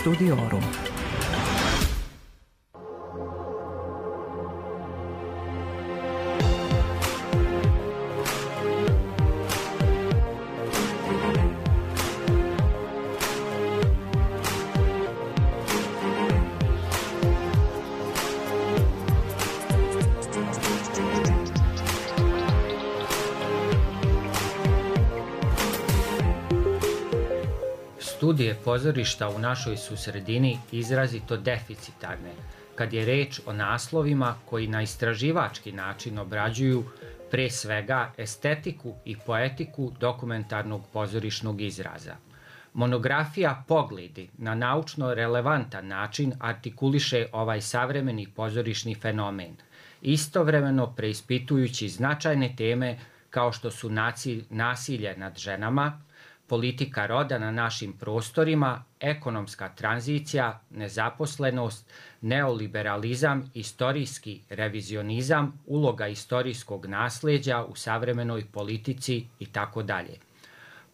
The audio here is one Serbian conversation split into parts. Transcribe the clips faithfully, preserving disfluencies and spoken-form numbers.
Studiorum. Studije pozorišta u našoj su sredini izrazito deficitarne kad je reč o naslovima koji na istraživački način obrađuju pre svega estetiku i poetiku dokumentarnog pozorišnog izraza. Monografija Pogledi na naučno relevantan način artikuliše ovaj savremeni pozorišni fenomen, istovremeno preispitujući značajne teme kao što su nasilje nad ženama, politika roda na našim prostorima, ekonomska tranzicija, nezaposlenost, neoliberalizam, istorijski revizionizam, uloga istorijskog nasleđa u savremenoj politici itd.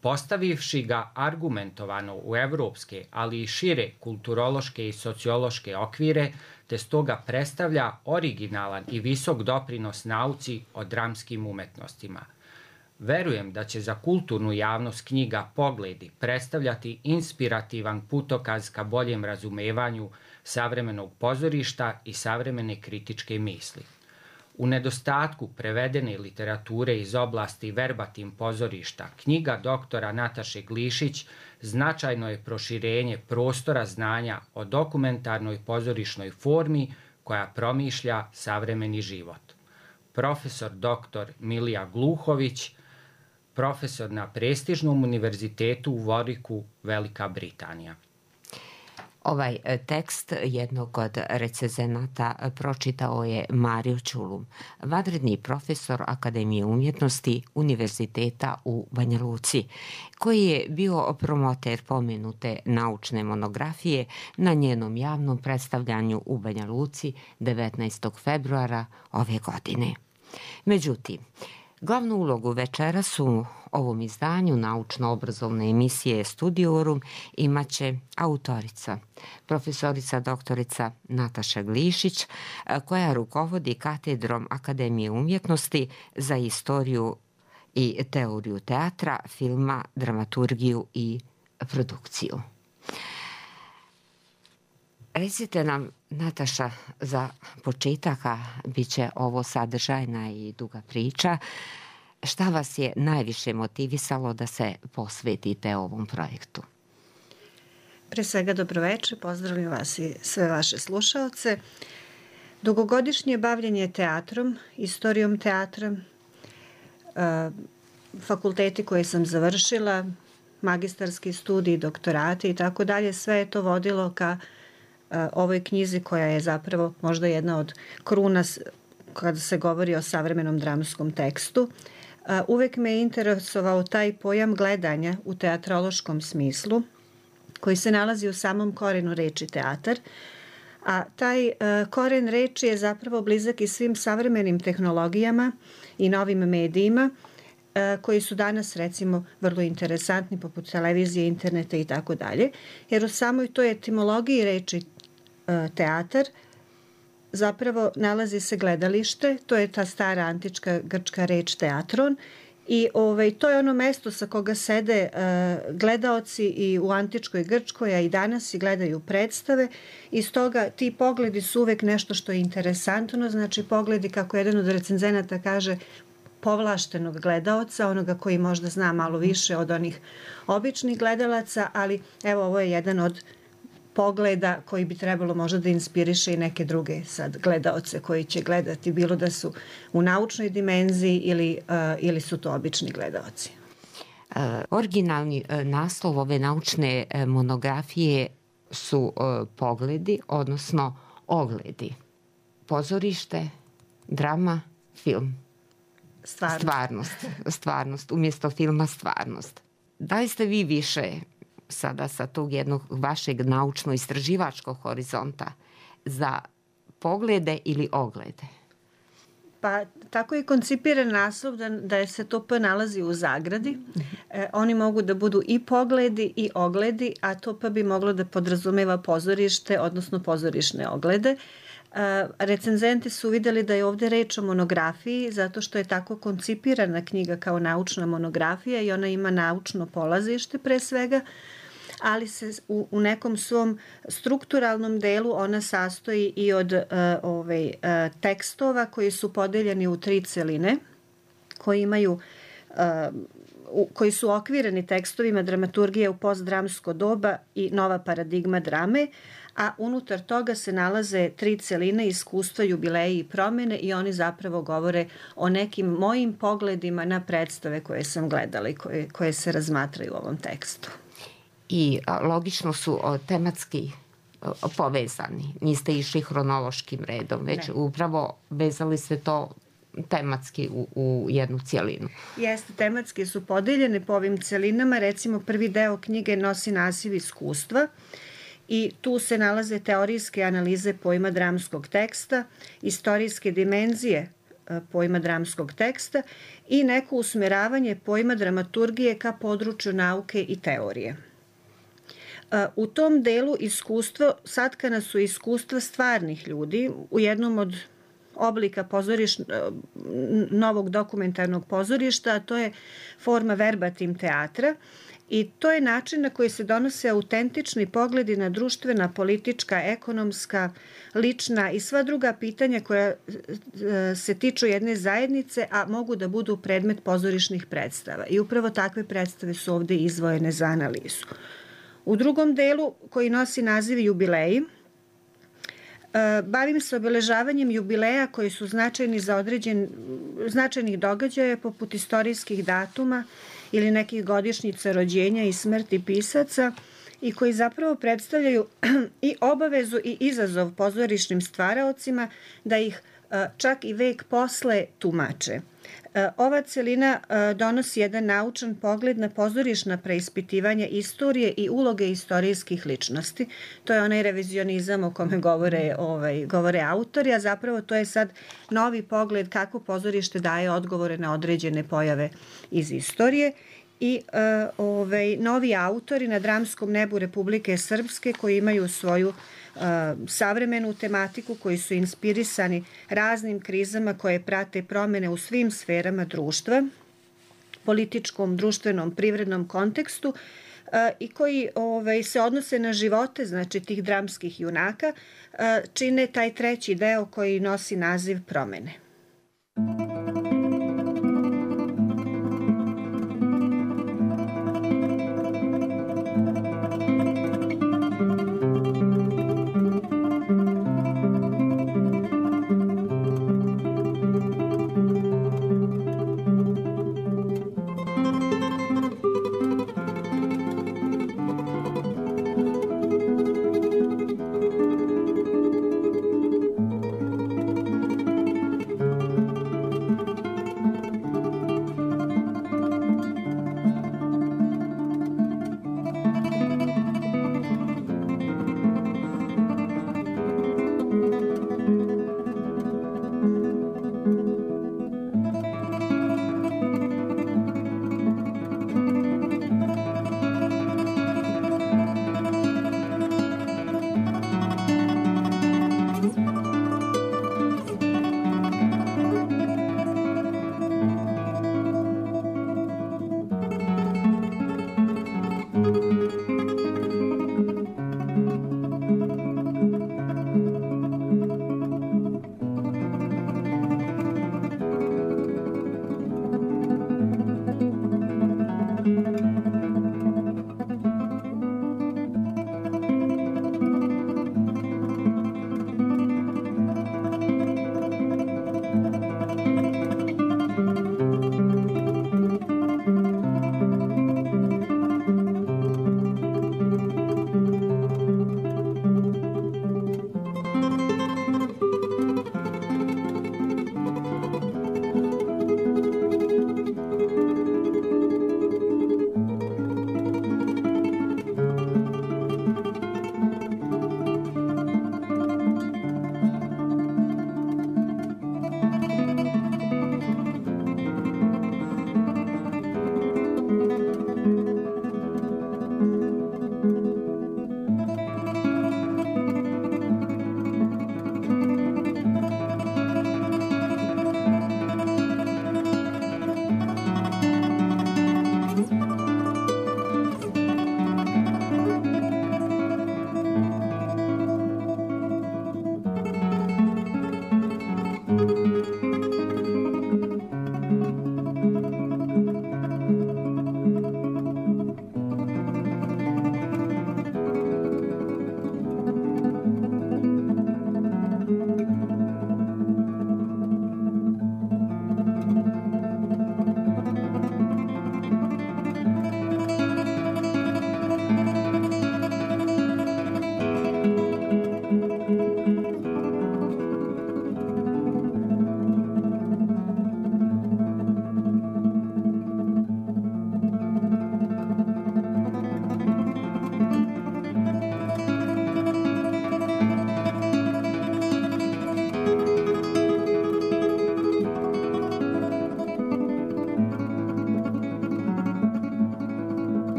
Postavivši ga argumentovano u evropske, ali i šire kulturološke i sociološke okvire, te stoga predstavlja originalan i visok doprinos nauci o dramskim umetnostima. Verujem da će za kulturnu javnost knjiga Pogledi predstavljati inspirativan putokaz ka boljem razumevanju savremenog pozorišta i savremene kritičke misli. U nedostatku prevedene literature iz oblasti verbatim pozorišta, knjiga doktora Nataše Glišić značajno je proširenje prostora znanja o dokumentarnoj pozorišnoj formi koja promišlja savremeni život. Profesor doktor Milija Gluhović, profesor na prestižnom univerzitetu u Warwicku, Velika Britanija. Ovaj tekst jednog od recenzenata pročitao je Mario Ćulum, vanredni profesor Akademije umjetnosti Univerziteta u Banja Luci, koji je bio promoter pomenute naučne monografije na njenom javnom predstavljanju u Banja Luci devetnaestog februara ove godine. Međutim, glavnu ulogu večeras u ovom izdanju naučno-obrazovne emisije Studiorum imaće autorica, profesorica doktorica Nataša Glišić, koja rukovodi katedrom Akademije umjetnosti za istoriju i teoriju teatra, filma, dramaturgiju i produkciju. Recite nam, Nataša, za početaka bit će ovo sadržajna i duga priča. Šta vas je najviše motivisalo da se posvetite ovom projektu? Pre svega dobroveče, pozdravljam vas i sve vaše slušaoce. Dugogodišnje bavljenje teatrom, istorijom teatra, fakulteti koje sam završila, magistarski studij, doktorati i tako dalje, sve je to vodilo ka ovoj knjizi koja je zapravo možda jedna od kruna kada se govori o savremenom dramskom tekstu. Uvek me je interesovao taj pojam gledanja u teatrološkom smislu koji se nalazi u samom korenu reči teatar, a taj koren reči je zapravo blizak i svim savremenim tehnologijama i novim medijima koji su danas recimo vrlo interesantni poput televizije, interneta i tako dalje, jer u samoj toj etimologiji reči teatar zapravo nalazi se gledalište, to je ta stara antička grčka reč teatron i ovaj, to je ono mesto sa koga sede uh, gledaoci i u antičkoj Grčkoj, a i danas i gledaju predstave i stoga ti pogledi su uvek nešto što je interesantno, znači pogledi, kako jedan od recenzenata kaže, povlaštenog gledaoca, onoga koji možda zna malo više od onih običnih gledalaca, ali evo ovo je jedan od pogleda koji bi trebalo možda da inspiriše i neke druge sad gledaoce koji će gledati, bilo da su u naučnoj dimenziji ili, uh, ili su to obični gledaoci. Uh, originalni uh, naslov ove naučne uh, monografije su uh, pogledi, odnosno ogledi. Pozorište, drama, film. Stvarnost. Stvarnost. Stvarnost. Umjesto filma stvarnost. Da li ste vi više sada sa tog jednog vašeg naučno-istraživačkog horizonta za poglede ili oglede? Pa tako je koncipiran naslov da, da se to P nalazi u zagradi. E, oni mogu da budu i pogledi i ogledi, a to P bi moglo da podrazumeva pozorište, odnosno pozorišne oglede. E, recenzenti su videli da je ovde reč o monografiji, zato što je tako koncipirana knjiga kao naučna monografija i ona ima naučno polazište pre svega, ali se u, u nekom svom strukturalnom delu ona sastoji i od uh, ovaj, uh, tekstova koji su podeljeni u tri celine, koji imaju uh, u, koji su okvireni tekstovima dramaturgije u postdramsko doba i nova paradigma drame, a unutar toga se nalaze tri celine, iskustva, jubileji i promene i oni zapravo govore o nekim mojim pogledima na predstave koje sam gledala i koje, koje se razmatraju u ovom tekstu. I logično su tematski povezani. Niste išli hronološkim redom, već ne. Upravo vezali se to tematski u, u jednu cijelinu. Jeste, tematski su podeljene po ovim celinama. Recimo, prvi deo knjige nosi naziv iskustva i tu se nalaze teorijske analize pojma dramskog teksta, istorijske dimenzije pojma dramskog teksta i neko usmeravanje pojma dramaturgije ka području nauke i teorije. U tom delu iskustva, satkana su iskustva stvarnih ljudi u jednom od oblika pozoriš, novog dokumentarnog pozorišta, a to je forma verbatim teatra i to je način na koji se donose autentični pogledi na društvena, politička, ekonomska, lična i sva druga pitanja koja se tiču jedne zajednice, a mogu da budu predmet pozorišnih predstava. I upravo takve predstave su ovde izdvojene za analizu. U drugom delu, koji nosi naziv jubileji, bavim se obeležavanjem jubileja koji su značajni za određen, značajnih događaja poput istorijskih datuma ili nekih godišnjica rođenja i smrti pisaca i koji zapravo predstavljaju i obavezu i izazov pozorišnim stvaraocima da ih čak i vek posle tumače. Ova celina donosi jedan naučan pogled na pozorišna preispitivanja istorije i uloge istorijskih ličnosti. To je onaj revizionizam o kome govore, ovaj, govore autori, a zapravo to je sad novi pogled kako pozorište daje odgovore na određene pojave iz istorije. I uh, ovaj, novi autori na dramskom nebu Republike Srpske koji imaju svoju uh, savremenu tematiku, koji su inspirisani raznim krizama koje prate promene u svim sferama društva, političkom, društvenom, privrednom kontekstu uh, i koji ovaj, se odnose na živote, znači tih dramskih junaka, uh, čine taj treći deo koji nosi naziv promene.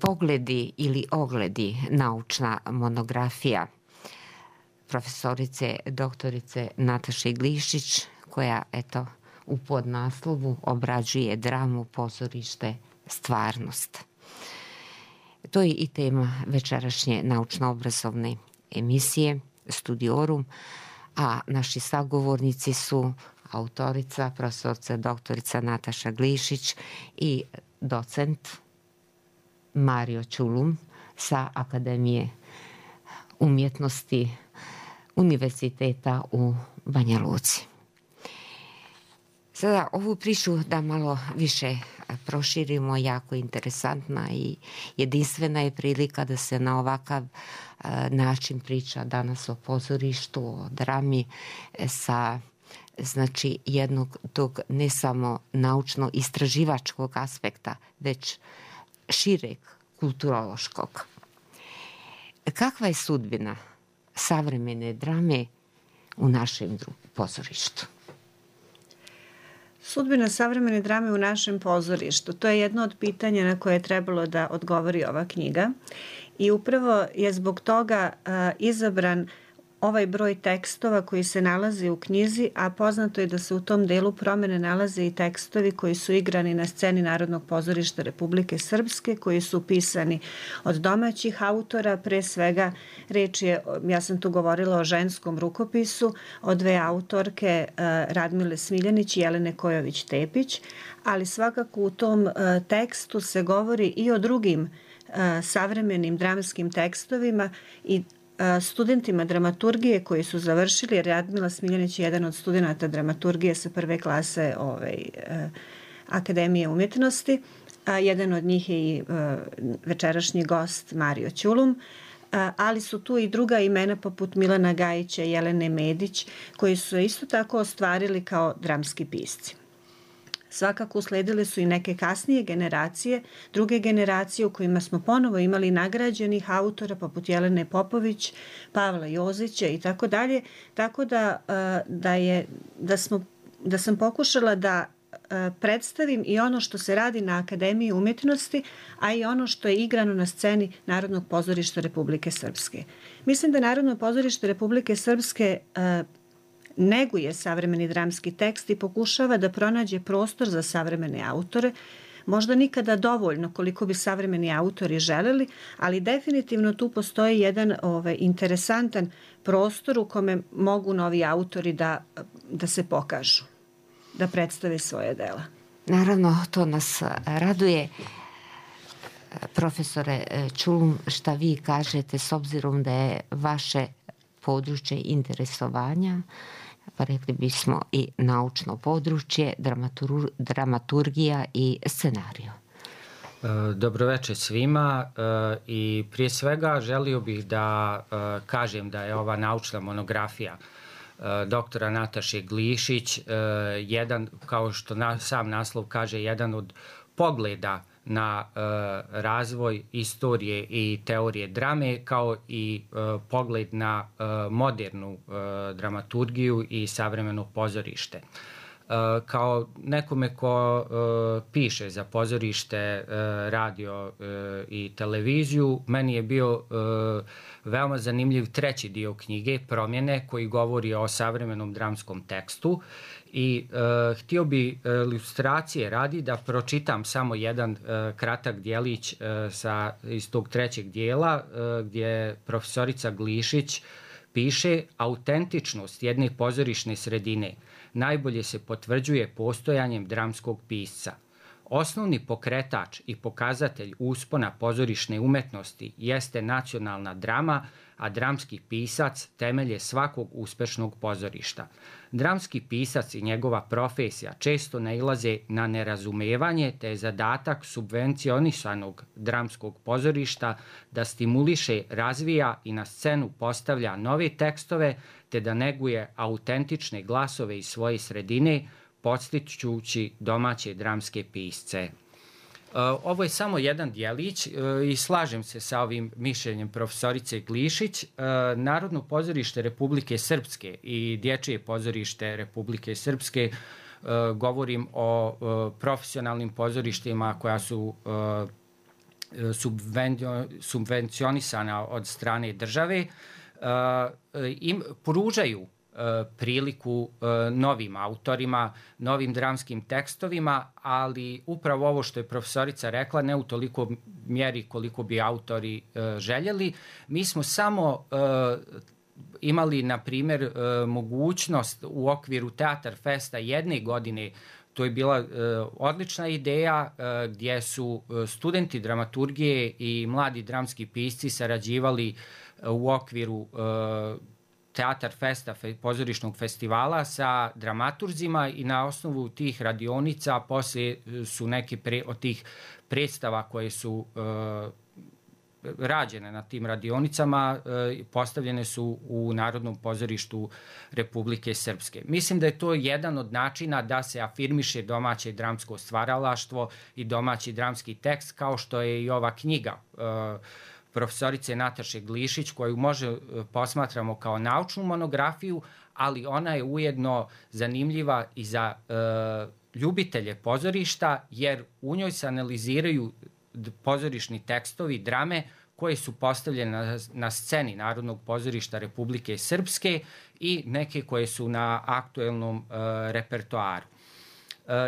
Pogledi ili ogledi, naučna monografija profesorice doktorice Nataše Glišić, koja eto u podnaslovu obrađuje dramu, pozorište, stvarnost. To je i tema večerašnje naučno-obrazovne emisije Studiorum, a naši sagovornici su autorica, profesorica doktorica Nataša Glišić i docent Mario Ćulum sa Akademije umjetnosti Univerziteta u Banja Luci. Sada ovu priču da malo više proširimo, jako interesantna i jedinstvena je prilika da se na ovakav način priča danas o pozorištu, o drami sa znači jednog tog ne samo naučno-istraživačkog aspekta, već šireg kulturološkog. Kakva je sudbina savremene drame u našem pozorištu? Sudbina savremene drame u našem pozorištu, to je jedno od pitanja na koje je trebalo da odgovori ova knjiga i upravo je zbog toga a, izabran ovaj broj tekstova koji se nalazi u knjizi, a poznato je da se u tom delu promene nalaze i tekstovi koji su igrani na sceni Narodnog pozorišta Republike Srpske, koji su pisani od domaćih autora, pre svega reč je, ja sam tu govorila o ženskom rukopisu, o dve autorke Radmile Smiljanić i Jelene Kojović-Tepić, ali svakako u tom tekstu se govori i o drugim savremenim dramskim tekstovima i studentima dramaturgije koji su završili, jer Radmila Smiljanić je jedan od studenta dramaturgije sa prve klase ovaj, Akademije umjetnosti, a jedan od njih je i večerašnji gost Mario Ćulum, ali su tu i druga imena poput Milana Gajića i Jelene Medić, koji su isto tako ostvarili kao dramski pisci. Svakako usledile su i neke kasnije generacije, druge generacije u kojima smo ponovo imali nagrađenih autora poput Jelene Popović, Pavla Jozića i tako dalje, tako da, da, je, da, smo, da sam pokušala da predstavim i ono što se radi na Akademiji umjetnosti, a i ono što je igrano na sceni Narodnog pozorišta Republike Srpske. Mislim da Narodno pozorište Republike Srpske neguje savremeni dramski tekst i pokušava da pronađe prostor za savremene autore, možda nikada dovoljno koliko bi savremeni autori želeli, ali definitivno tu postoji jedan ovaj, interesantan prostor u kome mogu novi autori da, da se pokažu, da predstave svoje dela. Naravno, to nas raduje. Profesore Ćulum, šta vi kažete s obzirom da je vaše područje interesovanja, pa rekli bismo i naučno područje, dramatur, dramaturgija i scenariju. Dobroveče svima i prije svega želio bih da kažem da je ova naučna monografija doktora Nataše Glišić jedan, kao što sam naslov kaže, jedan od pogleda na uh, razvoj istorije i teorije drame, kao i uh, pogled na uh, modernu uh, dramaturgiju i savremeno pozorište. Uh, kao nekome ko uh, piše za pozorište, uh, radio uh, i televiziju, meni je bio uh, veoma zanimljiv treći dio knjige, Promjene, koji govori o savremenom dramskom tekstu. I uh, htio bi uh, ilustracije radi da pročitam samo jedan uh, kratak dijelić uh, sa, iz tog trećeg dijela uh, gdje profesorica Glišić piše: autentičnost jedne pozorišne sredine najbolje se potvrđuje postojanjem dramskog pisca. Osnovni pokretač i pokazatelj uspona pozorišne umetnosti jeste nacionalna drama, a dramski pisac temelje svakog uspešnog pozorišta. Dramski pisac i njegova profesija često nailaze na nerazumevanje, te je zadatak subvencionisanog dramskog pozorišta da stimuliše, razvija i na scenu postavlja nove tekstove, te da neguje autentične glasove iz svoje sredine, podstičući domaće dramske pisce. Ovo je samo jedan dijelić i slažem se sa ovim mišljenjem profesorice Glišić. Narodno pozorište Republike Srpske i Dječje pozorište Republike Srpske, govorim o profesionalnim pozorištima koja su subvencionisana od strane države, im pružaju priliku novim autorima, novim dramskim tekstovima, ali upravo ovo što je profesorica rekla, ne u toliko mjeri koliko bi autori željeli. Mi smo samo imali, na primjer, mogućnost u okviru Teatar Festa jedne godine. To je bila odlična ideja gdje su studenti dramaturgije i mladi dramski pisci sarađivali u okviru Teatar Festa, pozorišnog festivala, sa dramaturzima i na osnovu tih radionica poslije su neke pre, od tih predstava koje su uh, rađene na tim radionicama uh, postavljene su u Narodnom pozorištu Republike Srpske. Mislim da je to jedan od načina da se afirmiše domaće dramsko stvaralaštvo i domaći dramski tekst, kao što je i ova knjiga uh, profesorice Nataše Glišić, koju može posmatramo kao naučnu monografiju, ali ona je ujedno zanimljiva i za e, ljubitelje pozorišta, jer u njoj se analiziraju pozorišni tekstovi, drame koje su postavljene na, na sceni Narodnog pozorišta Republike Srpske i neke koje su na aktuelnom e, repertoaru.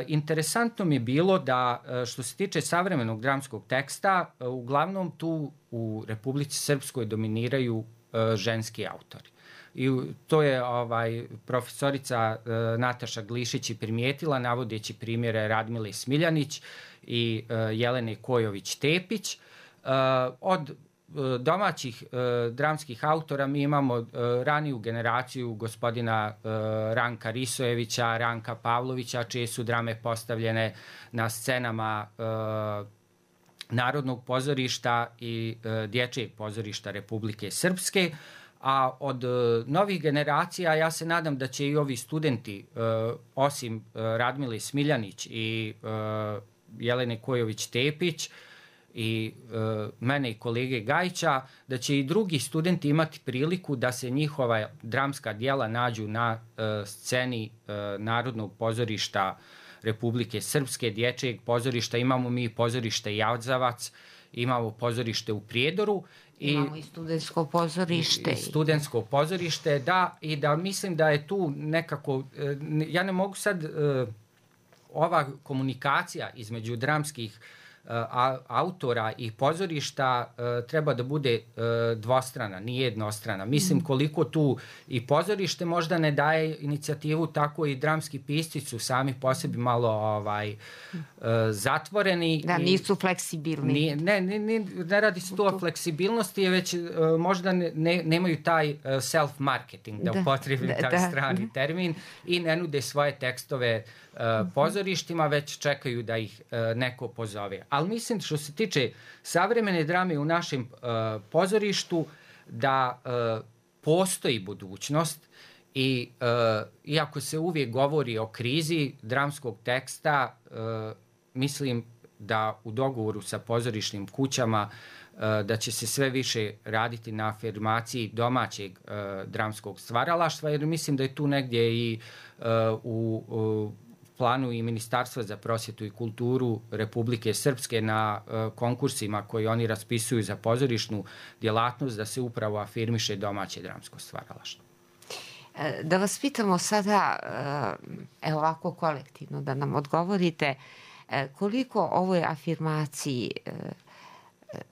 Interesantno mi je bilo da, što se tiče savremenog dramskog teksta, uglavnom tu u Republici Srpskoj dominiraju ženski autori. I to je ovaj, profesorica Nataša Glišić i primijetila, navodeći primjere Radmile Smiljanić i Jelene Kojović-Tepić. Od domaćih uh, dramskih autora mi imamo uh, raniju generaciju gospodina uh, Ranka Risojevića, Ranka Pavlovića, čije su drame postavljene na scenama uh, Narodnog pozorišta i uh, Dječjeg pozorišta Republike Srpske. A od uh, novih generacija ja se nadam da će i ovi studenti, uh, osim uh, Radmile Smiljanić i uh, Jelene Kojović-Tepić, i e, mene i kolege Gajića, da će i drugi studenti imati priliku da se njihova dramska djela nađu na e, sceni e, Narodnog pozorišta Republike Srpske, Dječjeg pozorišta. Imamo mi pozorište Jazavac, imamo pozorište u Prijedoru. I, imamo i studentsko pozorište. I studentsko pozorište, da, i da mislim da je tu nekako, e, ja ne mogu sad, e, ova komunikacija između dramskih autora i pozorišta uh, treba da bude uh, dvostrana, nije jednostrana. Mislim koliko tu i pozorište možda ne daje inicijativu, tako i dramski pisci su sami po sebi malo ovaj, uh, zatvoreni. Da, nisu fleksibilni. Nije, ne, ne, ne, ne radi se tu o fleksibilnosti, već uh, možda ne, ne, nemaju taj uh, self-marketing, da, da upotrebim da, taj da. strani termin, i ne nude svoje tekstove uh, pozorištima, već čekaju da ih uh, neko pozove. Ali mislim, što se tiče savremene drame u našem uh, pozorištu, da uh, postoji budućnost i uh, iako se uvijek govori o krizi dramskog teksta, uh, mislim da u dogovoru sa pozorišnim kućama uh, da će se sve više raditi na afirmaciji domaćeg uh, dramskog stvaralaštva, jer mislim da je tu negdje i uh, u, u planu i Ministarstva za prosvjetu i kulturu Republike Srpske na uh, konkursima koji oni raspisuju za pozorišnu djelatnost, da se upravo afirmiše domaće dramsko stvaralaštvo. Da vas pitamo sada, evo ovako kolektivno, da nam odgovorite koliko ovoj afirmaciji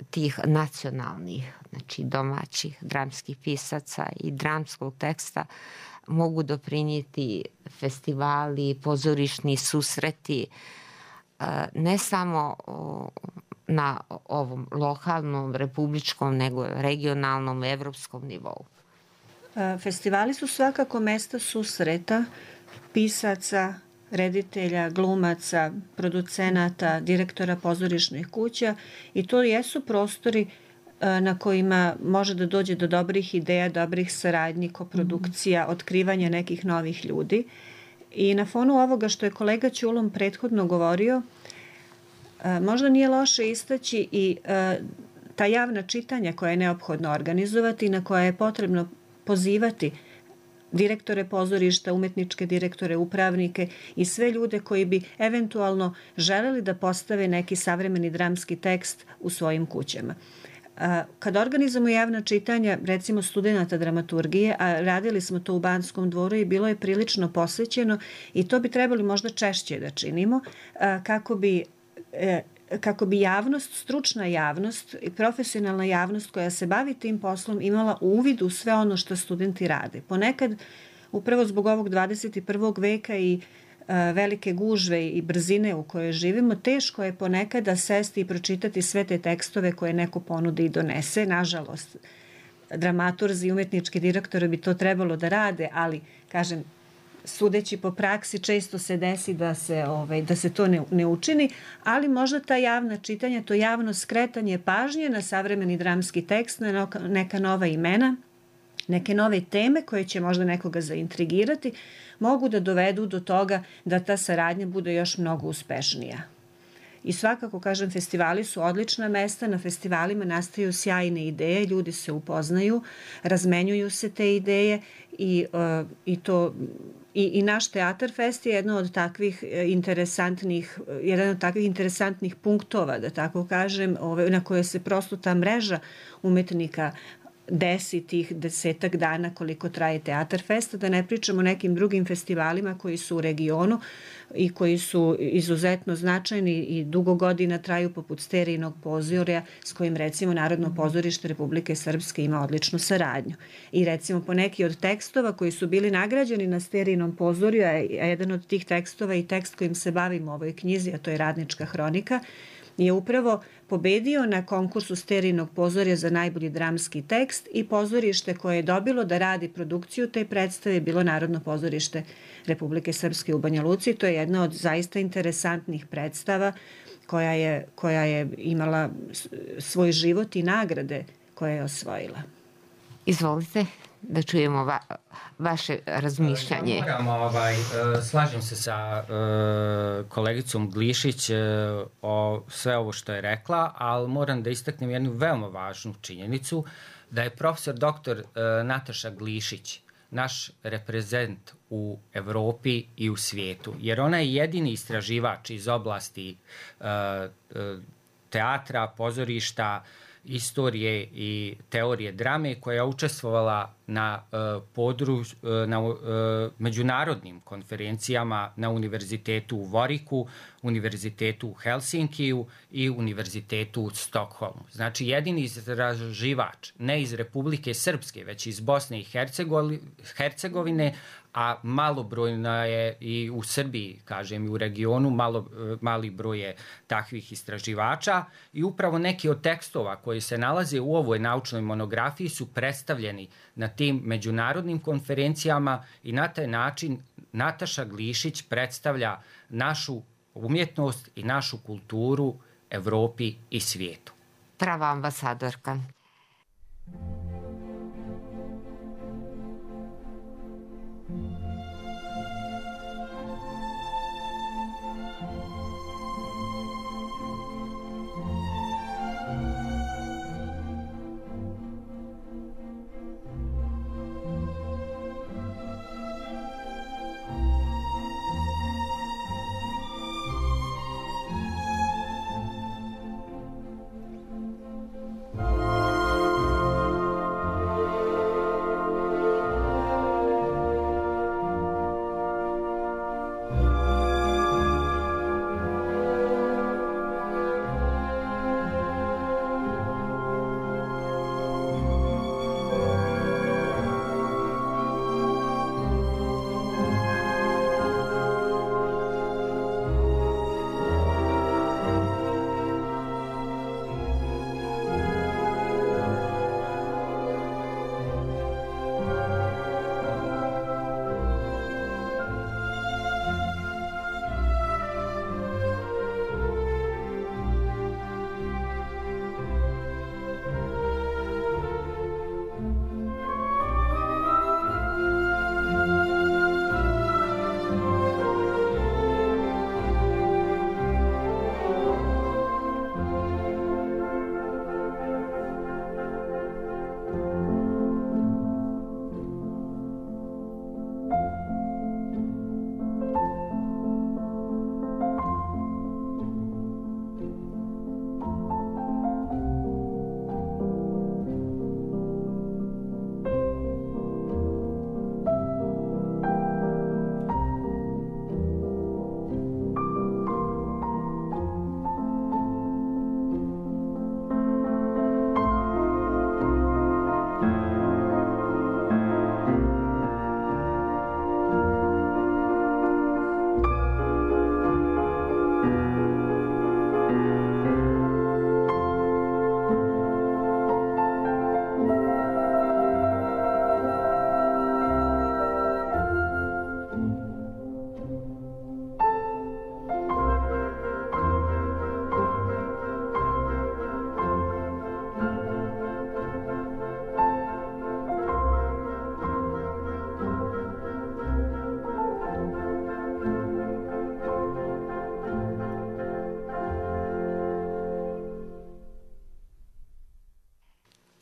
tih nacionalnih, znači domaćih dramskih pisaca i dramskog teksta mogu doprinijeti festivali, pozorišni susreti, ne samo na ovom lokalnom, republičkom, nego regionalnom, evropskom nivou. Festivali su svakako mesta susreta pisaca, reditelja, glumaca, producenata, direktora pozorišnih kuća, i to jesu prostori na kojima može da dođe do dobrih ideja, dobrih saradnji, koprodukcija, otkrivanja nekih novih ljudi. I na fonu ovoga što je kolega Ćulom prethodno govorio, možda nije loše istaći i ta javna čitanja koja je neophodno organizovati i na koja je potrebno pozivati direktore pozorišta, umetničke direktore, upravnike i sve ljude koji bi eventualno želeli da postave neki savremeni dramski tekst u svojim kućama. Kad organizujemo javna čitanja, recimo studenta dramaturgije, a radili smo to u Banskom dvoru i bilo je prilično posvećeno i to bi trebali možda češće da činimo, kako bi kako bi javnost, stručna javnost i profesionalna javnost koja se bavi tim poslom imala uvid u sve ono što studenti rade. Ponekad, upravo zbog ovog dvadeset prvog veka i velike gužve i brzine u kojoj živimo, teško je ponekada sesti i pročitati sve te tekstove koje neko ponudi i donese. Nažalost, dramaturzi i umetnički direktori bi to trebalo da rade, ali, kažem, sudeći po praksi, često se desi da se, ovaj, da se to ne, ne učini, ali možda ta javna čitanja, to javno skretanje pažnje na savremeni dramski tekst, na neka nova imena, neke nove teme koje će možda nekoga zaintrigirati, mogu da dovedu do toga da ta saradnja bude još mnogo uspešnija. I svakako, kažem, festivali su odlična mesta, na festivalima nastaju sjajne ideje, ljudi se upoznaju, razmenjuju se te ideje i, uh, i to... I, I naš Teatar Fest je jedno od takvih interesantnih, jedan od takvih interesantnih punktova, da tako kažem, ove, na koje se prosto ta mreža umetnika desi tih desetak dana koliko traje Teatar Fest, da ne pričamo o nekim drugim festivalima koji su u regionu i koji su izuzetno značajni i dugo godina traju, poput Sterijinog pozorja, s kojim recimo Narodno pozorište Republike Srpske ima odličnu saradnju. I recimo po neki od tekstova koji su bili nagrađeni na Sterijinom pozorju, a jedan od tih tekstova i tekst kojim se bavimo u ovoj knjizi, a to je Radnička hronika, je upravo pobedio na konkursu Sterijinog pozorja za najbolji dramski tekst i pozorište koje je dobilo da radi produkciju te predstave je bilo Narodno pozorište Republike Srpske u Banja Luci. To je jedna od zaista interesantnih predstava koja je, koja je imala svoj život i nagrade koje je osvojila. Izvolite da čujemo va, vaše razmišljanje. Ja moram, ovaj, slažem se sa uh, kolegicom Glišić uh, o sve ovo što je rekla, ali moram da istaknem jednu veoma važnu činjenicu, da je profesor doktor uh, Nataša Glišić naš reprezent u Evropi i u svijetu, jer ona je jedini istraživač iz oblasti uh, uh, teatra, pozorišta, istorije i teorije drame koja je učestvovala na uh, podru, uh, na uh, međunarodnim konferencijama na Univerzitetu u Voriku, Univerzitetu u Helsinkiju i Univerzitetu u Stokholmu. Znači, jedini istraživač, ne iz Republike Srpske, već iz Bosne i Hercegovine, a malobrojna je i u Srbiji, kažem, i u regionu, malo, mali broj je takvih istraživača i upravo neki od tekstova koji se nalaze u ovoj naučnoj monografiji su predstavljeni na tim međunarodnim konferencijama i na taj način Nataša Glišić predstavlja našu umjetnost i našu kulturu Evropi i svijetu. Prava ambasadorka.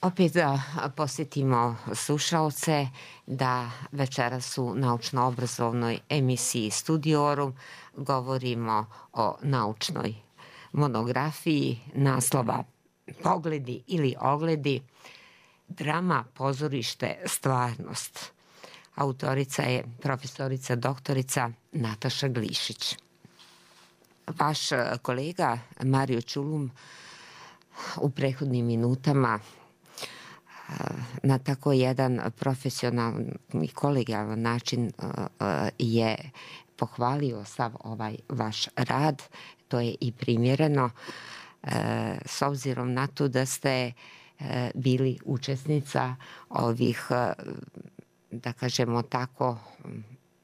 Opet da posjetimo slušaoce da večeras u naučno-obrazovnoj emisiji Studiorum govorimo o naučnoj monografiji naslova Pogledi ili ogledi, drama, pozorište, stvarnost. Autorica je profesorica doktorica Nataša Glišić. Vaš kolega Mario Ćulum u prethodnim minutama na tako jedan profesionalni i kolegijalan način je pohvalio sav ovaj vaš rad. To je i primjereno s obzirom na to da ste bili učesnica ovih, da kažemo tako,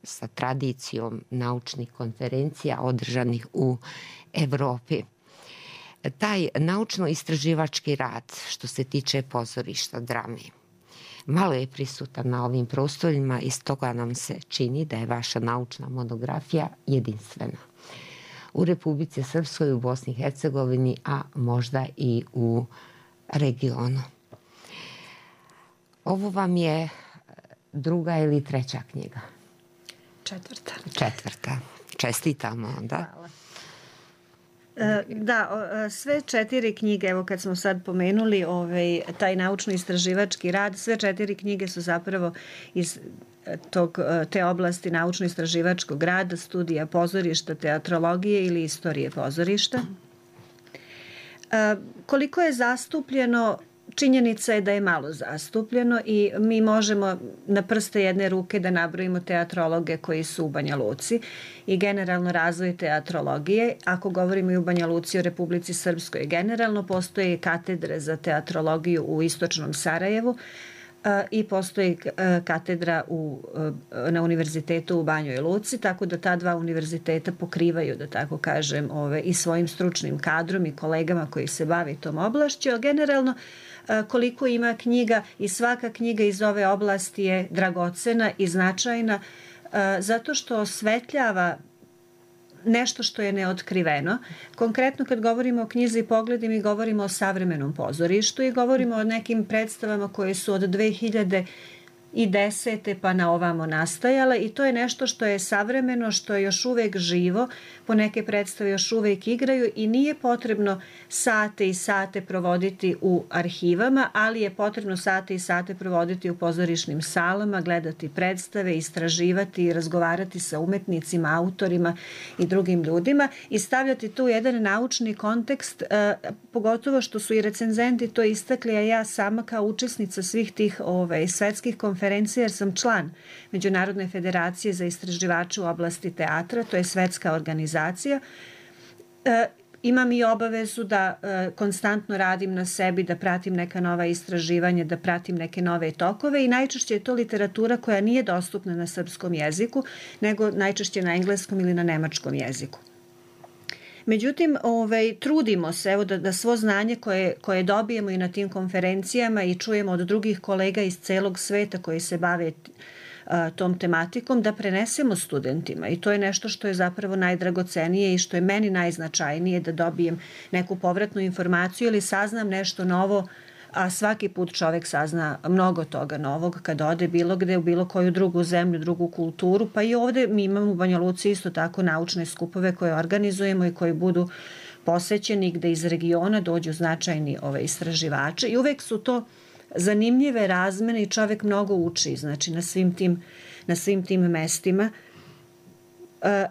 sa tradicijom naučnih konferencija održanih u Evropi. Taj naučno-istraživački rad što se tiče pozorišta, drame, malo je prisutan na ovim prostorima i stoga nam se čini da je vaša naučna monografija jedinstvena u Republici Srpskoj, u Bosni i Hercegovini, a možda i u regionu. Ovo vam je druga ili treća knjiga? Četvrta. Četvrta. Čestitamo onda. Hvala. Da, sve četiri knjige, evo kad smo sad pomenuli ovaj, taj naučno-istraživački rad, sve četiri knjige su zapravo iz tog, te oblasti naučno-istraživačkog rada, studija pozorišta, teatrologije ili istorije pozorišta. Koliko je zastupljeno, činjenica je da je malo zastupljeno i mi možemo na prste jedne ruke da nabrojimo teatrologe koji su u Banja Luci i generalno razvoj teatrologije. Ako govorimo i u Banja Luci, o Republici Srpskoj, generalno postoje katedre za teatrologiju u istočnom Sarajevu i postoji katedra u, na univerzitetu u Banjoj Luci, tako da ta dva univerziteta pokrivaju, da tako kažem, ove, i svojim stručnim kadrom i kolegama koji se bavi tom oblašću, ali generalno koliko ima knjiga i svaka knjiga iz ove oblasti je dragocena i značajna zato što osvetljava nešto što je neotkriveno. Konkretno kad govorimo o knjizi Pogledi, mi govorimo o savremenom pozorištu i govorimo o nekim predstavama koje su od dve hiljade desete pa na ovamo nastajale i to je nešto što je savremeno, što je još uvek živo, po neke predstave još uvek igraju i nije potrebno sate i sate provoditi u arhivama, ali je potrebno sate i sate provoditi u pozorišnim salama, gledati predstave, istraživati i razgovarati sa umetnicima, autorima i drugim ljudima i stavljati tu jedan naučni kontekst, pogotovo što su i recenzenti to istakli, a ja sama kao učesnica svih tih ove, svetskih konferencija, jer sam član Međunarodne federacije za istraživače u oblasti teatra, to je svetska organizacija. E, imam i obavezu da e, konstantno radim na sebi, da pratim neka nova istraživanja, da pratim neke nove tokove i najčešće je to literatura koja nije dostupna na srpskom jeziku, nego najčešće na engleskom ili na nemačkom jeziku. Međutim, ovaj, trudimo se evo, da, da svo znanje koje, koje dobijemo i na tim konferencijama i čujemo od drugih kolega iz celog sveta koji se bave a, tom tematikom, da prenesemo studentima. I to je nešto što je zapravo najdragocenije i što je meni najznačajnije, da dobijem neku povratnu informaciju ili saznam nešto novo, a svaki put čovek sazna mnogo toga novog kad ode bilo gde, u bilo koju drugu zemlju, drugu kulturu, pa i ovde mi imamo u Banja Luci isto tako naučne skupove koje organizujemo i koji budu posećeni gde iz regiona dođu značajni ove istraživači i uvek su to zanimljive razmene i čovek mnogo uči, znači na svim tim, na svim tim mestima.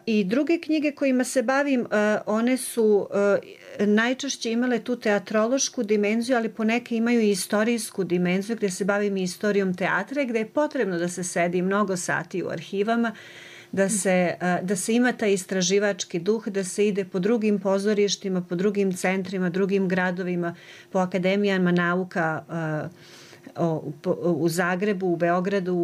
I druge knjige kojima se bavim, one su najčešće imale tu teatrološku dimenziju, ali poneke imaju i istorijsku dimenziju gde se bavim i istorijom teatra, gde je potrebno da se sedi mnogo sati u arhivama, da se, da se ima taj istraživački duh, da se ide po drugim pozorištima, po drugim centrima, drugim gradovima, po akademijama nauka, u Zagrebu, u Beogradu,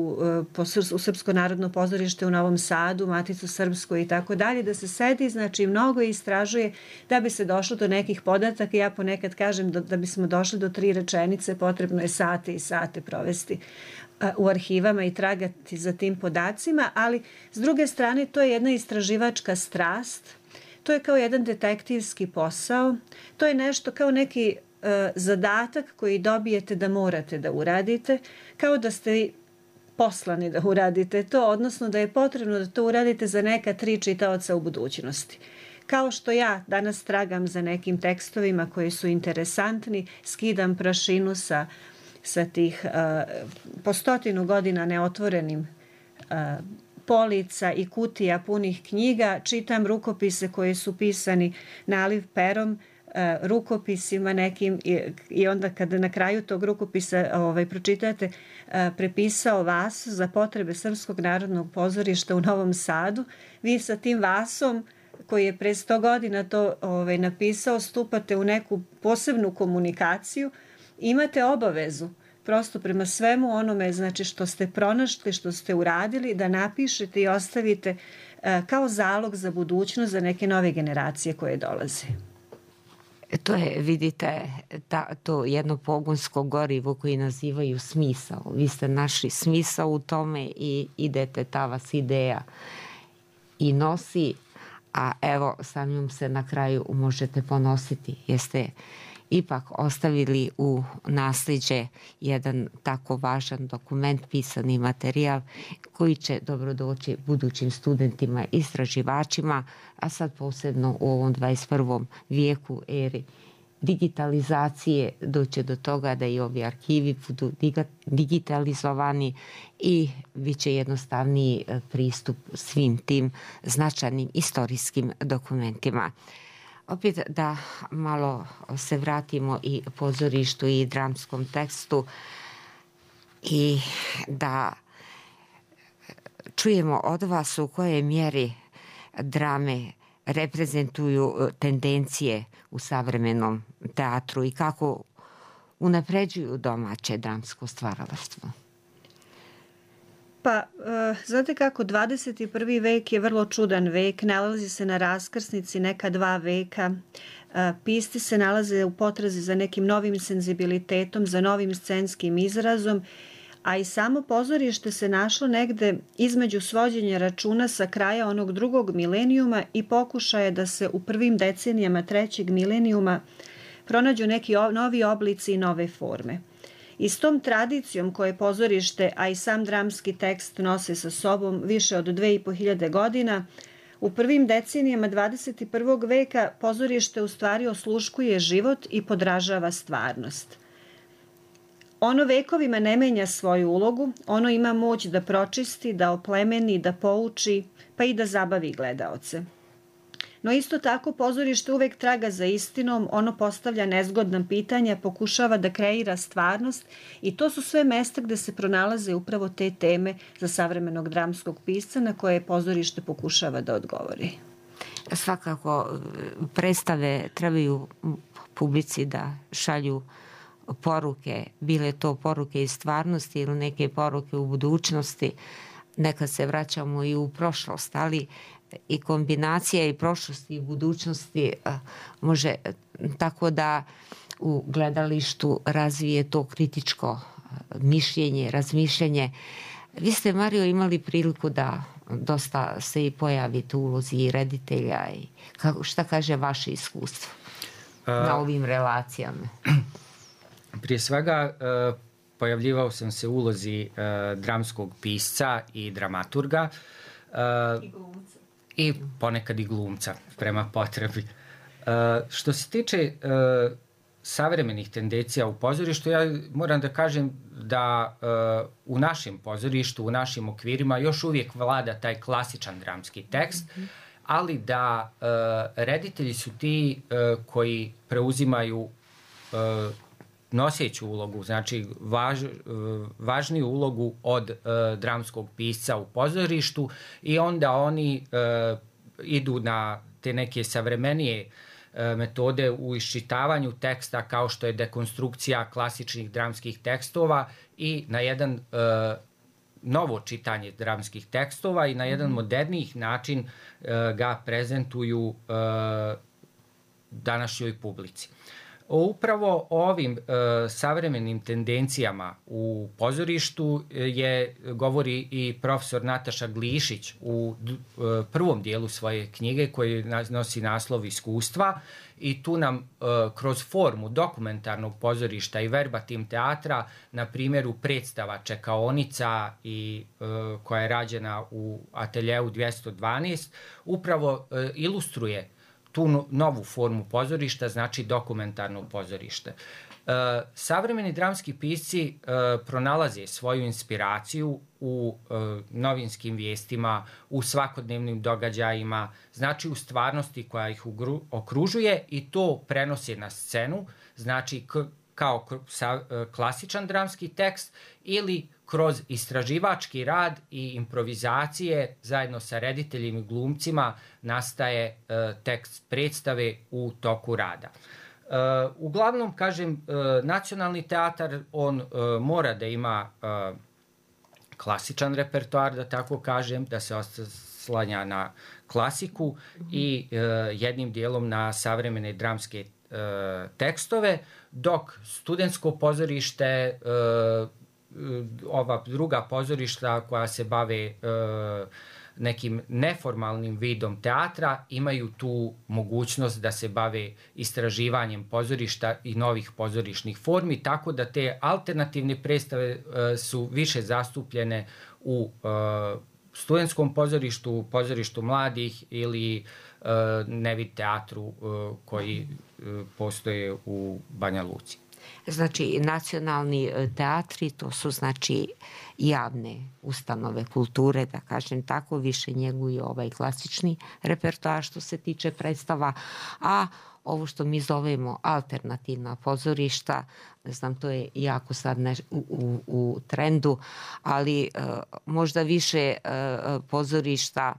u Srpsko narodno pozorište u Novom Sadu, Maticu Srpsku i tako dalje, da se sedi, znači mnogo istražuje da bi se došlo do nekih podataka. Ja ponekad kažem da, da bismo došli do tri rečenice, potrebno je sate i sate provesti u arhivama i tragati za tim podacima, ali s druge strane to je jedna istraživačka strast, to je kao jedan detektivski posao, to je nešto kao neki e, zadatak koji dobijete da morate da uradite, kao da ste poslani da uradite to, odnosno da je potrebno da to uradite za neka tri čitaoca u budućnosti. Kao što ja danas tragam za nekim tekstovima koji su interesantni, skidam prašinu sa, sa tih uh, po stotinu godina neotvorenim uh, polica i kutija punih knjiga, čitam rukopise koji su pisani naliv perom, uh, rukopisima nekim i, i onda kada na kraju tog rukopisa ovaj, pročitate uh, prepisao vas za potrebe Srpskog narodnog pozorišta u Novom Sadu, vi sa tim vasom koji je pre sto godina to ovaj, napisao, stupate u neku posebnu komunikaciju, imate obavezu prosto prema svemu onome, znači što ste pronašli, što ste uradili, da napišete i ostavite uh, kao zalog za budućnost za neke nove generacije koje dolaze. To je, vidite, ta, to jedno pogonsko gorivo koji nazivaju smisao. Vi ste našli smisao u tome i idete, ta vas ideja i nosi, a evo samim se na kraju možete ponositi. Jeste ipak ostavili u nasljeđe jedan tako važan dokument, pisani materijal koji će dobro doći budućim studentima, istraživačima, a sad posebno u ovom dvadeset prvom vijeku, eri digitalizacije, doće do toga da i ovi arhivi budu digitalizovani i bit će jednostavniji pristup svim tim značajnim istorijskim dokumentima. Opet da malo se vratimo i pozorištu i dramskom tekstu i da čujemo od vas u kojoj mjeri drame reprezentuju tendencije u savremenom teatru i kako unapređuju domaće dramsko stvaralaštvo. Pa, uh, znate kako, dvadeset prvi vek je vrlo čudan vek, nalazi se na raskrsnici neka dva veka, uh, pisci se nalaze u potrazi za nekim novim senzibilitetom, za novim scenskim izrazom, a i samo pozorište se našlo negde između svođenja računa sa kraja onog drugog milenijuma i pokušaje da se u prvim decenijama trećeg milenijuma pronađu neki novi oblici i nove forme. I s tom tradicijom koje pozorište, a i sam dramski tekst nose sa sobom više od dve i po hiljade godina, u prvim decenijama dvadeset prvog veka pozorište u stvari osluškuje život i podražava stvarnost. Ono vekovima ne menja svoju ulogu, ono ima moć da pročisti, da oplemeni, da pouči, pa i da zabavi gledaoce. No isto tako pozorište uvek traga za istinom, ono postavlja nezgodna pitanja, pokušava da kreira stvarnost i to su sve mesta gde se pronalaze upravo te teme za savremenog dramskog pisca na koje pozorište pokušava da odgovori. Svakako predstave trebaju publici da šalju poruke, bile to poruke iz stvarnosti ili neke poruke u budućnosti. Nekad se vraćamo i u prošlost, ali i kombinacija i prošlosti i budućnosti može tako da u gledalištu razvije to kritičko mišljenje, razmišljanje. Vi ste, Mario, imali priliku da dosta se i pojavite u ulozi i reditelja. I kako, šta kaže vaše iskustvo uh, na ovim relacijama? Prije svega, uh, pojavljivao sam se u ulozi uh, dramskog pisca i dramaturga. Uh, I glumca. I ponekad i glumca, prema potrebi. Uh, što se tiče uh, savremenih tendencija u pozorištu, ja moram da kažem da uh, u našem pozorištu, u našim okvirima još uvijek vlada taj klasičan dramski tekst, mm-hmm. ali da uh, reditelji su ti uh, koji preuzimaju uh, noseću ulogu, znači važ, važniju ulogu od uh, dramskog pisca u pozorištu i onda oni uh, idu na te neke savremenije uh, metode u iščitavanju teksta kao što je dekonstrukcija klasičnih dramskih tekstova i na jedan uh, novo čitanje dramskih tekstova i na jedan modernijih način uh, ga prezentuju uh, današnjoj publici. Upravo o ovim e, savremenim tendencijama u pozorištu je govori i profesor Nataša Glišić u e, prvom dijelu svoje knjige koji nosi naslov Iskustva, i tu nam e, kroz formu dokumentarnog pozorišta i verbatim teatra na primjeru predstava Čekaonica i e, koja je rađena u ateljeu dvjesto dvanaest upravo e, ilustruje tu novu formu pozorišta, znači dokumentarno pozorište. E, savremeni dramski pisci e, pronalaze svoju inspiraciju u e, novinskim vijestima, u svakodnevnim događajima, znači u stvarnosti koja ih ugru, okružuje, i to prenose na scenu, znači k, kao k, sa, e, klasičan dramski tekst ili kroz istraživački rad i improvizacije zajedno sa rediteljima i glumcima nastaje e, tekst predstave u toku rada. E, uglavnom, kažem, e, nacionalni teatar, on e, mora da ima e, klasičan repertoar, da tako kažem, da se oslanja na klasiku i e, jednim dijelom na savremene dramske e, tekstove, dok studentsko pozorište, e, ova druga pozorišta koja se bave e, nekim neformalnim vidom teatra imaju tu mogućnost da se bave istraživanjem pozorišta i novih pozorišnih formi, tako da te alternativne predstave e, su više zastupljene u e, studentskom pozorištu, pozorištu mladih ili e, nevid teatru e, koji e, postoje u Banja Luci. Znači, nacionalni teatri, to su znači javne ustanove kulture, da kažem tako, više njeguju ovaj klasični repertoar što se tiče predstava, a ovo što mi zovemo alternativna pozorišta, ne znam, to je jako sad ne, u, u, u trendu, ali uh, možda više uh, pozorišta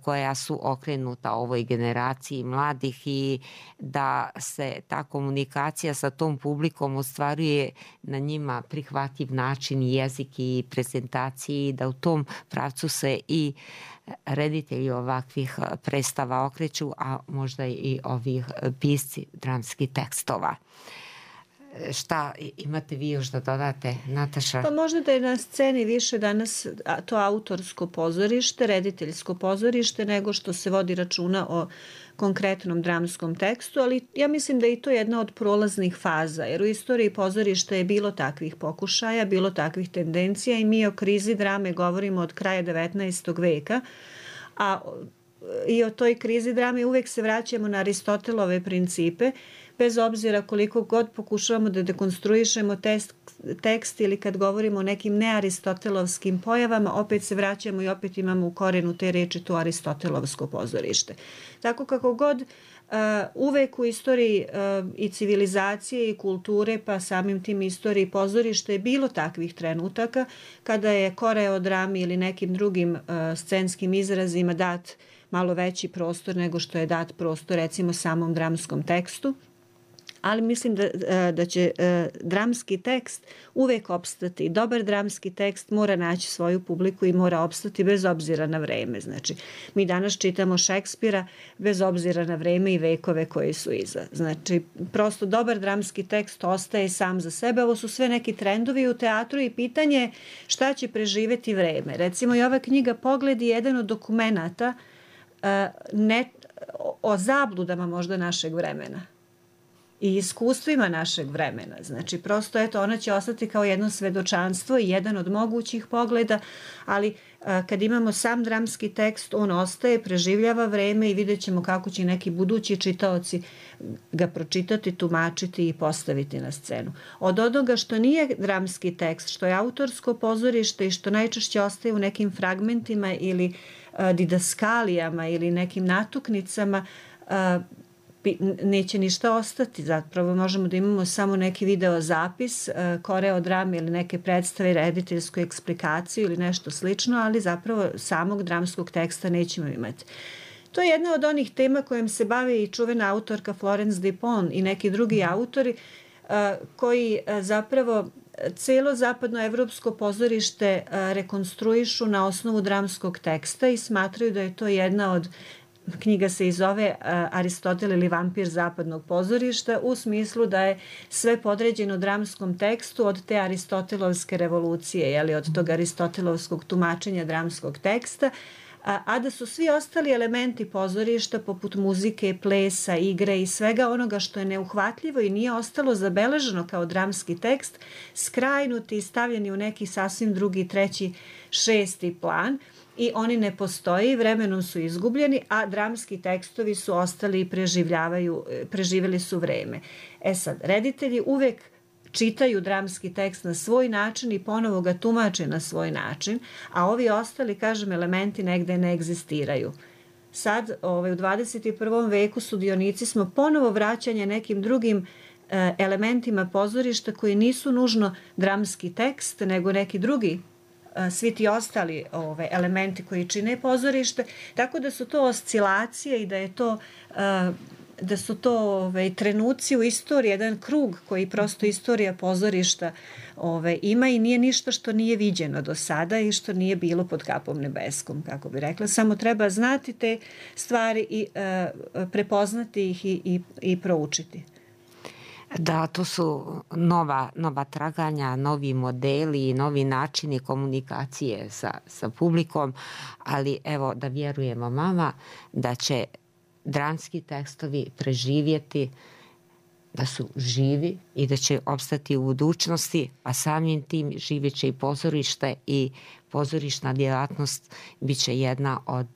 koja su okrenuta ovoj generaciji mladih i da se ta komunikacija sa tom publikom ostvaruje na njima prihvatljiv način, jezik i prezentaciji, da u tom pravcu se i reditelji ovakvih predstava okreću, a možda i ovih pisci dramskih tekstova. Šta imate vi još da dodate, Nataša? Pa možda da je na sceni više danas to autorsko pozorište, rediteljsko pozorište, nego što se vodi računa o konkretnom dramskom tekstu, ali ja mislim da je i to jedna od prolaznih faza, jer u istoriji pozorišta je bilo takvih pokušaja, bilo takvih tendencija i mi o krizi drame govorimo od kraja devetnaestog veka, a i o toj krizi drame uvek se vraćamo na Aristotelove principe, bez obzira koliko god pokušavamo da dekonstruišemo tekst, tekst ili kad govorimo o nekim nearistotelovskim pojavama, opet se vraćamo i opet imamo u korenu te reči to aristotelovsko pozorište. Tako kako god uh, uvek u istoriji uh, i civilizacije i kulture, pa samim tim istoriji pozorište je bilo takvih trenutaka kada je koreodrami ili nekim drugim uh, scenskim izrazima dat malo veći prostor nego što je dat prostor recimo samom dramskom tekstu. Ali mislim da, da će dramski tekst uvek opstati. Dobar dramski tekst mora naći svoju publiku i mora opstati bez obzira na vreme. Znači, mi danas čitamo Šekspira bez obzira na vreme i vekove koji su iza. Znači, prosto dobar dramski tekst ostaje sam za sebe. Ovo su sve neki trendovi u teatru i pitanje šta će preživeti vreme. Recimo, i ova knjiga Pogled je jedan od dokumenata ne, o zabludama možda našeg vremena i iskustvima našeg vremena. Znači, prosto, eto, ona će ostati kao jedno svedočanstvo i jedan od mogućih pogleda, ali a, kad imamo sam dramski tekst, on ostaje, preživljava vreme i vidjet ćemo kako će neki budući čitaoci ga pročitati, tumačiti i postaviti na scenu. Od onoga što nije dramski tekst, što je autorsko pozorište i što najčešće ostaje u nekim fragmentima ili a, didaskalijama ili nekim natuknicama, a, neće ništa ostati. Zapravo možemo da imamo samo neki video zapis, koreodrame ili neke predstave, rediteljsku eksplikaciju ili nešto slično, ali zapravo samog dramskog teksta nećemo imati. To je jedna od onih tema kojim se bavi i čuvena autorka Florence Dupont i neki drugi autori koji zapravo celo zapadnoevropsko pozorište rekonstruišu na osnovu dramskog teksta i smatraju da je to jedna od knjiga se i zove Aristotel ili vampir zapadnog pozorišta, u smislu da je sve podređeno dramskom tekstu od te aristotelovske revolucije, jeli, od tog aristotelovskog tumačenja dramskog teksta, a, a da su svi ostali elementi pozorišta poput muzike, plesa, igre i svega onoga što je neuhvatljivo i nije ostalo zabeleženo kao dramski tekst, skrajnuti i stavljeni u neki sasvim drugi, treći, šesti plan i oni ne postoji, vremenom su izgubljeni, a dramski tekstovi su ostali i preživljavaju, preživjeli su vreme. E sad, reditelji uvek čitaju dramski tekst na svoj način i ponovo ga tumače na svoj način, a ovi ostali, kažem, elementi negde ne egzistiraju. Sad, ovaj, u dvadeset i prvom veku sudionici smo ponovo vraćanje nekim drugim e, elementima pozorišta koji nisu nužno dramski tekst, nego neki drugi, e, svi ti ostali ove, elementi koji čine pozorište, tako da su to oscilacije i da je to... E, da su to ove, trenuci u istoriji, jedan krug koji prosto istorija pozorišta ove, ima i nije ništa što nije viđeno do sada i što nije bilo pod kapom nebeskom, kako bi rekla. Samo treba znati te stvari i e, prepoznati ih i, i, i proučiti. Da, to su nova, nova traganja, novi modeli, novi načini komunikacije sa, sa publikom, ali evo da vjerujemo mama da će dramski tekstovi preživjeti, da su živi i da će opstati u budućnosti, a samim tim živjet će i pozorište i pozorišna djelatnost bit će jedna od,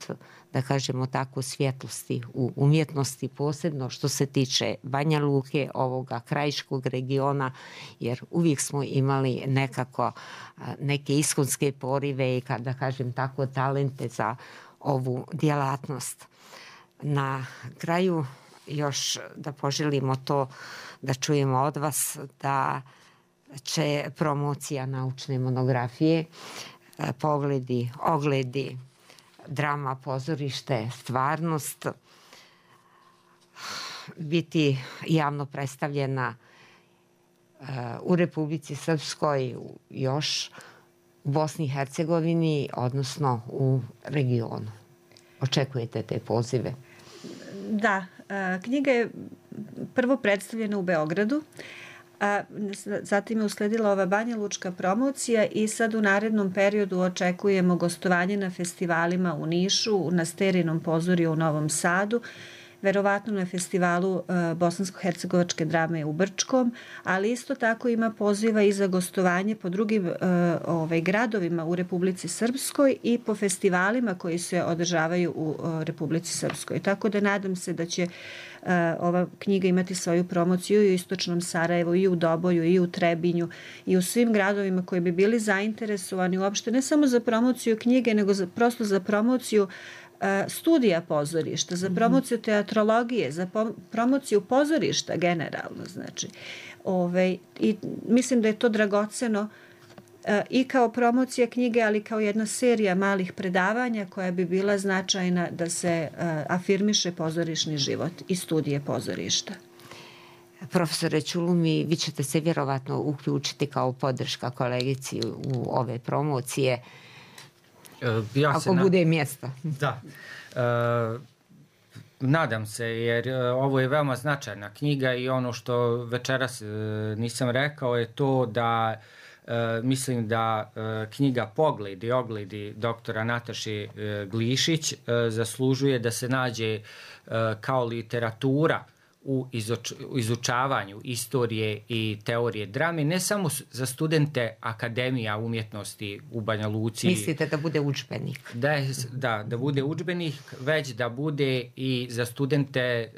da kažemo tako, svjetlosti u umjetnosti, posebno što se tiče Banja Luke, ovoga krajiškog regiona, jer uvijek smo imali nekako neke iskonske porive i, da kažem tako, talente za ovu djelatnost. Na kraju još da poželimo to da čujemo od vas da će promocija naučne monografije, pogledi, ogledi, drama, pozorište, stvarnost biti javno predstavljena u Republici Srpskoj, još u Bosni i Hercegovini, odnosno u regionu. Očekujete te pozive? Da, knjiga je prvo predstavljena u Beogradu, a zatim je usledila ova Banja Lučka promocija i sad u narednom periodu očekujemo gostovanje na festivalima u Nišu, na Sterinom pozorju u Novom Sadu, verovatno na festivalu uh, bosansko-hercegovačke drame u Brčkom, ali isto tako ima poziva i za gostovanje po drugim uh, ovaj, gradovima u Republici Srpskoj i po festivalima koji se održavaju u uh, Republici Srpskoj. Tako da nadam se da će uh, ova knjiga imati svoju promociju i u Istočnom Sarajevu, i u Doboju, i u Trebinju, i u svim gradovima koji bi bili zainteresovani uopšte ne samo za promociju knjige, nego za, prosto za promociju studija pozorišta, za promociju teatrologije, za promociju pozorišta generalno, znači. Ove, i mislim da je to dragoceno i kao promocija knjige, ali kao jedna serija malih predavanja koja bi bila značajna da se afirmiše pozorišni život i studije pozorišta. Profesore Čulumi, vi ćete se vjerovatno uključiti kao podrška kolegici u ove promocije. Ja Ako na... bude mjesta. Da. E, nadam se, jer ovo je veoma značajna knjiga i ono što večeras e, nisam rekao je to da e, mislim da e, knjiga Pogledi, ogledi doktora Nataše e, Glišić e, zaslužuje da se nađe e, kao literatura u izuč, izučavanju istorije i teorije drame, ne samo za studente Akademija umjetnosti u Banja Luci. Mislite da bude udžbenik? Da, da, da bude udžbenik, već da bude i za studente e,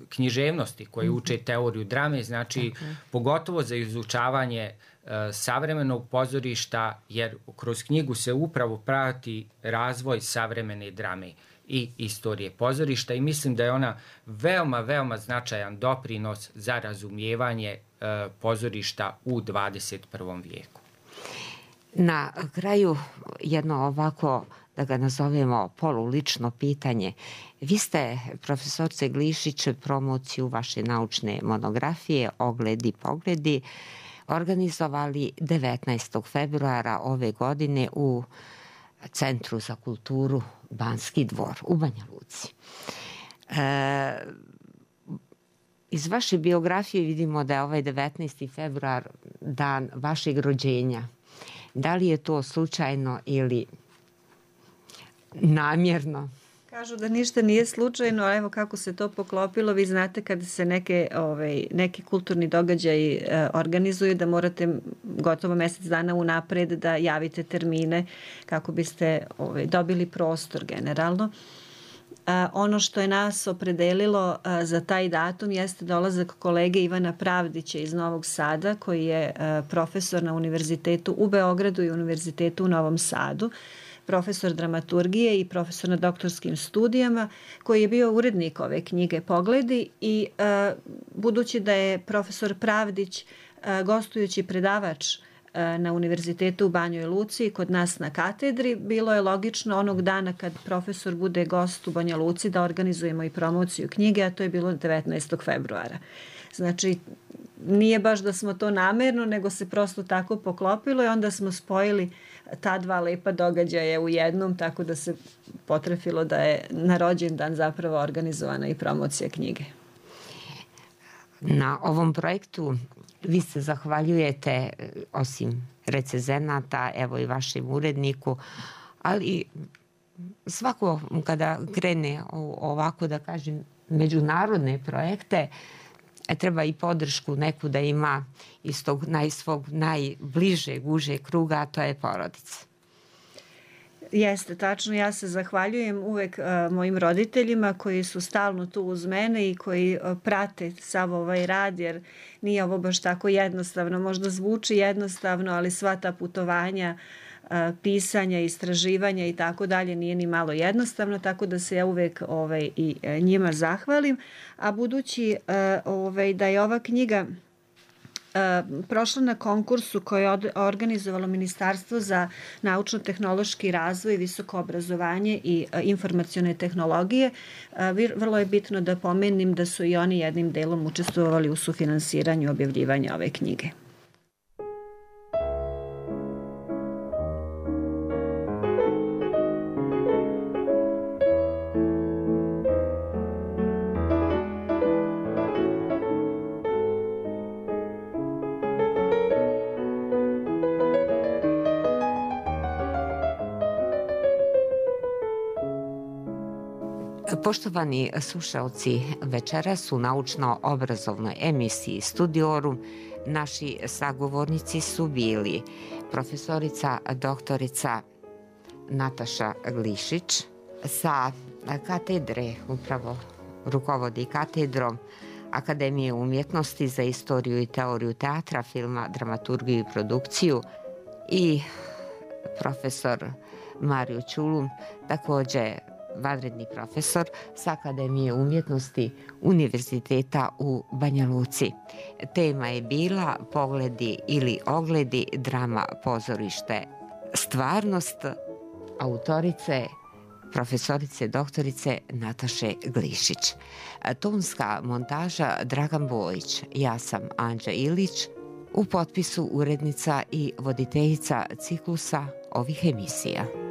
književnosti koji mm-hmm. uče teoriju drame, znači okay. pogotovo za izučavanje e, savremenog pozorišta, jer kroz knjigu se upravo prati razvoj savremene drame i istorije pozorišta i mislim da je ona veoma, veoma značajan doprinos za razumijevanje e, pozorišta u dvadeset prvom vijeku. Na kraju jedno ovako, da ga nazovemo polulično pitanje. Vi ste, profesorce Glišić, promociju vaše naučne monografije Ogledi, pogledi organizovali devetnaestog februara ove godine u Centru za kulturu Banski dvor u Banja Luci. E, iz vaše biografije vidimo da je ovaj devetnaesti februar dan vašeg rođenja. Da li je to slučajno ili namjerno? Kažu da ništa nije slučajno, a evo kako se to poklopilo. Vi znate kada se neke, ovaj, neki kulturni događaji e, organizuju da morate gotovo mjesec dana unapred da javite termine kako biste ovaj, dobili prostor generalno. A, ono što je nas opredelilo a, za taj datum jeste dolazak kolege Ivana Pravdića iz Novog Sada, koji je a, profesor na univerzitetu u Beogradu i univerzitetu u Novom Sadu, profesor dramaturgije i profesor na doktorskim studijama, koji je bio urednik ove knjige Pogledi i a, budući da je profesor Pravdić a, gostujući predavač na univerzitetu u Banjoj Luci kod nas na katedri, bilo je logično onog dana kad profesor bude gost u Banja Luci da organizujemo i promociju knjige, a to je bilo devetnaestog februara. Znači, nije baš da smo to namerno, nego se prosto tako poklopilo i onda smo spojili ta dva lepa događaja u jednom, tako da se potrefilo da je na rođendan zapravo organizovana i promocija knjige. Na ovom projektu vi se zahvaljujete osim recenzenata, evo i vašem uredniku, ali svako kada krene ovako da kažem međunarodne projekte treba i podršku neku da ima iz tog naj, svog najbližeg, užeg kruga, a to je porodica. Jeste, tačno. Ja se zahvaljujem uvek uh, mojim roditeljima koji su stalno tu uz mene i koji uh, prate sav ovaj rad, jer nije ovo baš tako jednostavno. Možda zvuči jednostavno, ali sva ta putovanja, uh, pisanja, istraživanja i tako dalje nije ni malo jednostavno, tako da se ja uvek ovaj, i uh, njima zahvalim. A budući uh, ovaj, da je ova knjiga Uh, prošla na konkursu koje je od, organizovalo Ministarstvo za naučno-tehnološki razvoj, visoko obrazovanje i uh, informacione tehnologije. Uh, vrlo je bitno da pomenim da su i oni jednim delom učestvovali u sufinansiranju objavljivanja ove knjige. Poštovani slušalci, večeras u naučno-obrazovnoj emisiji Studiorum naši sagovornici su bili profesorica doktorica Nataša Glišić sa katedre, upravo rukovodi katedrom Akademije umjetnosti za istoriju i teoriju teatra, filma, dramaturgiju i produkciju, i profesor Mario Ćulum, također vanredni profesor sa Akademije umjetnosti Univerziteta u Banja Luci. Tema je bila Pogledi ili ogledi, drama, pozorište, stvarnost, autorice profesorice doktorice Nataše Glišić. Tonska montaža Dragan Bojić, ja sam Anđa Ilić, u potpisu urednica i voditeljica ciklusa ovih emisija.